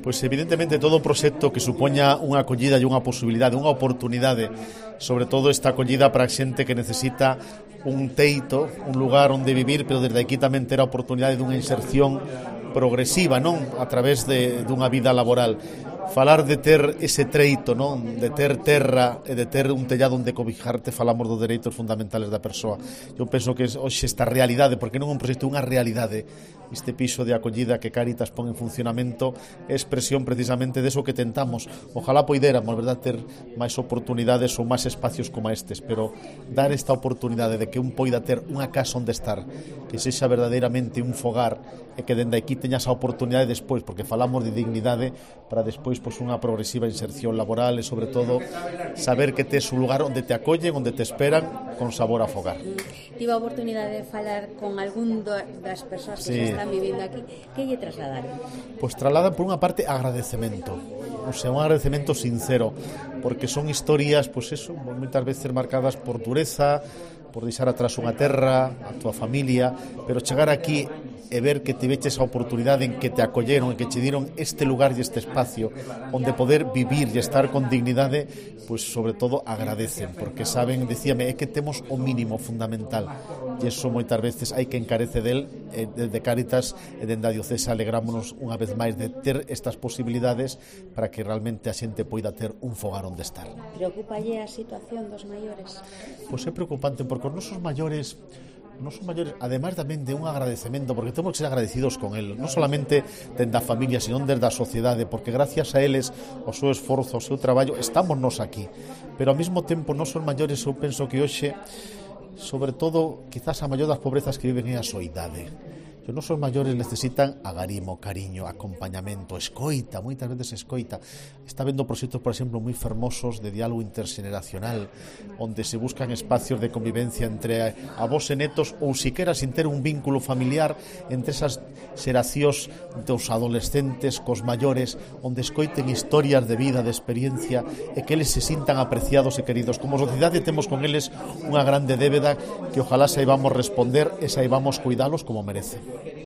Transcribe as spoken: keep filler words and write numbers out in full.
Pois evidentemente todo o proxecto que supoña unha acollida e unha posibilidade, unha oportunidade, sobre todo esta acollida para a xente que necesita un teito, un lugar onde vivir, pero desde aquí tamén ter a oportunidade dunha inserción progresiva, non? A través de dunha vida laboral. Falar de ter ese treito, non? De ter terra e de ter un tellado onde cobijarte, falamos dos dereitos fundamentales da persoa. Eu penso que hoxe esta realidade, porque non é un proxecto, unha realidade, este piso de acollida que Cáritas pon en funcionamento é expresión precisamente deso que tentamos. Ojalá poidéramos, verdad, ter máis oportunidades ou máis espacios como estes, pero dar esta oportunidade de que un poida ter unha casa onde estar, que sexa verdadeiramente un fogar e que dende aquí teñas a oportunidade despois, porque falamos de dignidade, para despois pois, unha progresiva inserción laboral e sobre todo saber que tes un lugar onde te acollen, onde te esperan con sabor a fogar. Tive a oportunidade de falar con algún das persoas que sí. están vivindo aquí. Que lle trasladaron? Pois trasladan por unha parte agradecemento, o sea, un agradecemento sincero, porque son historias, pois eso, moitas veces marcadas por dureza, por deixar atrás unha terra, a tua familia, pero chegar aquí e ver que te veches a oportunidade en que te acolleron, en que che dieron este lugar e este espacio onde poder vivir e estar con dignidade, pois sobre todo agradecen, porque saben, decíame, é que temos o mínimo fundamental e eso moitas veces hai que encarece del, e desde Cáritas e dende a diocesa alegrámonos unha vez máis de ter estas posibilidades para que realmente a xente poida ter un fogar onde estar. Preocupalle a situación dos maiores? Pois é preocupante, porque os nosos maiores non son maiores, ademais tamén de un agradecemento, porque temos que ser agradecidos con el, non solamente dende a familia, sino desde a sociedade, porque gracias a eles, o seu esforzo, o seu traballo, estamos nos aquí. Pero ao mesmo tempo, non son maiores, eu penso que hoxe, sobre todo, quizás a maior das pobrezas que viven é a soidade. Os nosos maiores necesitan agarimo, cariño, acompañamento, escoita, moitas veces escoita. Está vendo proxectos, por exemplo, moi fermosos de diálogo interxeneracional, onde se buscan espacios de convivencia entre avós e netos, ou siquera sin ter un vínculo familiar entre esas xeracións dos adolescentes cos maiores, onde escoiten historias de vida, de experiencia, e que eles se sintan apreciados e queridos. Como sociedade temos con eles unha grande débeda que ojalá saibamos responder e saibamos cuidalos como merecen.